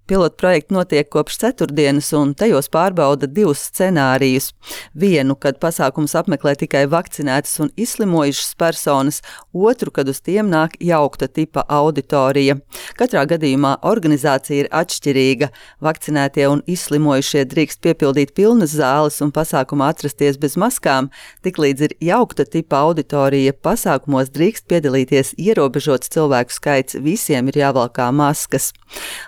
Pilotprojekti notiek kopš ceturtdienas, un tajos pārbauda divus scenārijus. Vienu, kad pasākums apmeklē tikai vakcinētas un izslimojušas personas, otru, kad uz tiem nāk jaukta tipa auditorija. Katrā gadījumā organizācija ir atšķirīga. Vakcinētie un izslimojušie drīkst piepildīt pilnas zāles un pasākumā atrasties bez maskām, tiklīdz ir jaukta tipa auditorija, pasākumos drīkst piedalīties ierobežots cilvēku skaits, visiem ir jāvalkā maskas.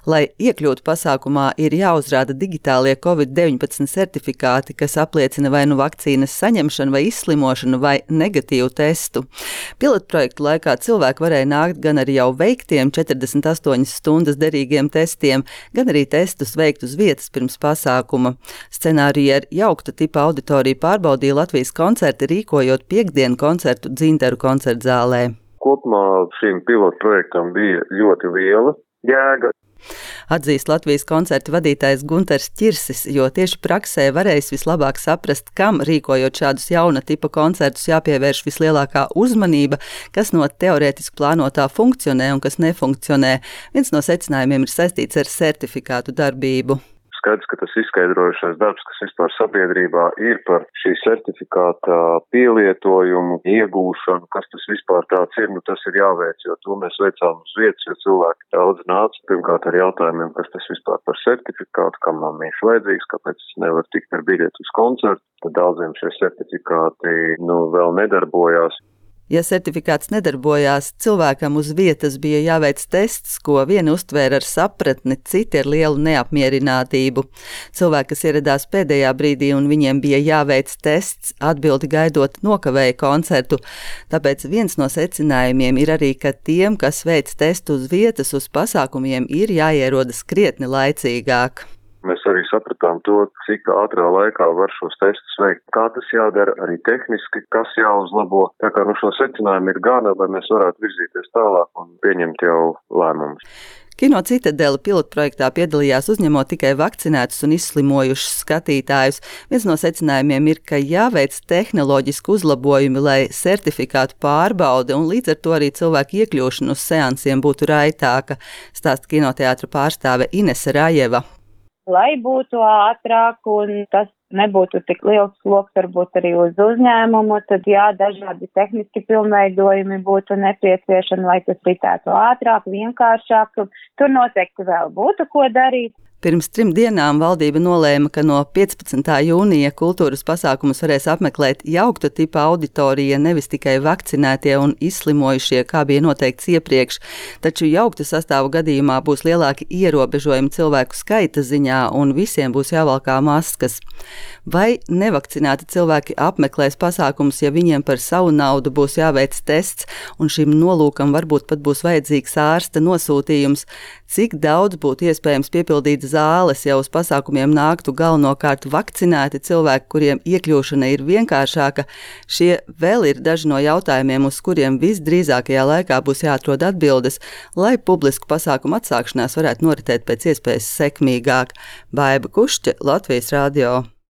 Lai iekļūtu pasākumā, ir jāuzrāda digitālie COVID-19 certifikāti, kas apliecina vai nu vakcīnas saņemšanu vai izslimošanu vai negatīvu testu. Pilotprojektu laikā cilvēki varēja nākt gan ar jau veiktiem 48 stundas derīgiem testiem, gan arī testus veikt uz vietas pirms pasākuma. Scenāriju ar jaukta tipa auditoriju pārbaudīja Latvijas koncerti, rīkojot piektdienu koncertu Dzintaru koncertzālē. Kopumā šīm pilotprojektam bija ļoti liela jēga. Atzīst Latvijas koncertu vadītājs Gunters Ķirsis, jo tieši praksē varēs vislabāk saprast, kam rīkojot šādus jauna tipa koncertus jāpievērš vislielākā uzmanība, kas no teorētiski plānotā funkcionē un kas nefunkcionē. Viens no secinājumiem ir saistīts ar certifikātu darbību. Skaidrs, ka tas izskaidrojušais darbs, kas vispār sabiedrībā ir par šī certifikāta pielietojumu, iegūšanu, kas tas vispār tāds ir, tas ir jāveic, jo to mēs veicām uz vietas, jo cilvēki daudz nāca pirmkārt ar jautājumiem, kas tas vispār par certifikātu, kam man viņš vajadzīgs, kāpēc es nevaru tikt ar biļeti uz koncertu, tad daudziem šie certifikāti vēl nedarbojās. Ja certifikāts nedarbojās, cilvēkam uz vietas bija jāveic tests, ko vieni uztvēra ar sapratni, citi ar lielu neapmierinātību. Cilvēki, kas ieradās pēdējā brīdī un viņiem bija jāveic tests, atbildi gaidot nokavēja koncertu. Tāpēc viens no secinājumiem ir arī, ka tiem, kas veic testu uz vietas, uz pasākumiem ir jāierodas krietni laicīgāk. Mēs arī sapratām to, cik ātrā laikā var šos testus veikt, kā tas jādara arī tehniski, kas jāuzlabo. Tā kā šo secinājumu ir gana, lai mēs varētu virzīties tālāk un pieņemt jau lēmumus. Kino Citadele pilotprojektā piedalījās uzņemot tikai vakcinētus un izslimojušus skatītājus. Viens no secinājumiem ir, ka jāveic tehnoloģiski uzlabojumi, lai certifikātu pārbaude un līdz ar to arī cilvēku iekļūšana uz seansiem būtu raitāka, stāsta kinoteātra pārstāve Inese Rajeva. Lai būtu ātrāk un tas nebūtu tik liels sloks varbūt arī uz uzņēmumu, tad dažādi tehniski pilnveidojumi būtu nepieciešami, lai tas ritētu ātrāk, vienkāršāk. Tur noteikti vēl būtu ko darīt. Pirms 3 dienām valdība nolēma, ka no 15. jūnija kultūras pasākumus varēs apmeklēt jaukta tipa auditorija, nevis tikai vakcinētie un izslimojušie, kā bija noteikts iepriekš, taču jaukta sastāvu gadījumā būs lielāki ierobežojumi cilvēku skaita ziņā un visiem būs jāvalkā maskas. Vai nevakcinēti cilvēki apmeklēs pasākumus, ja viņiem par savu naudu būs jāveic tests un šim nolūkam varbūt pat būs vajadzīgs ārsta nosūtījums? Cik daudz būtu iespējams piepildīt zāles, ja uz pasākumiem nāktu galvenokārt vakcinēti cilvēki, kuriem iekļūšana ir vienkāršāka? Šie vēl ir daži no jautājumiem, uz kuriem visdrīzākajā laikā būs jāatrod atbildes, lai publisku pasākumu atsākšanās varētu noritēt pēc iespējas sekmīgāk. Baiba Kušķe, Latvijas radio.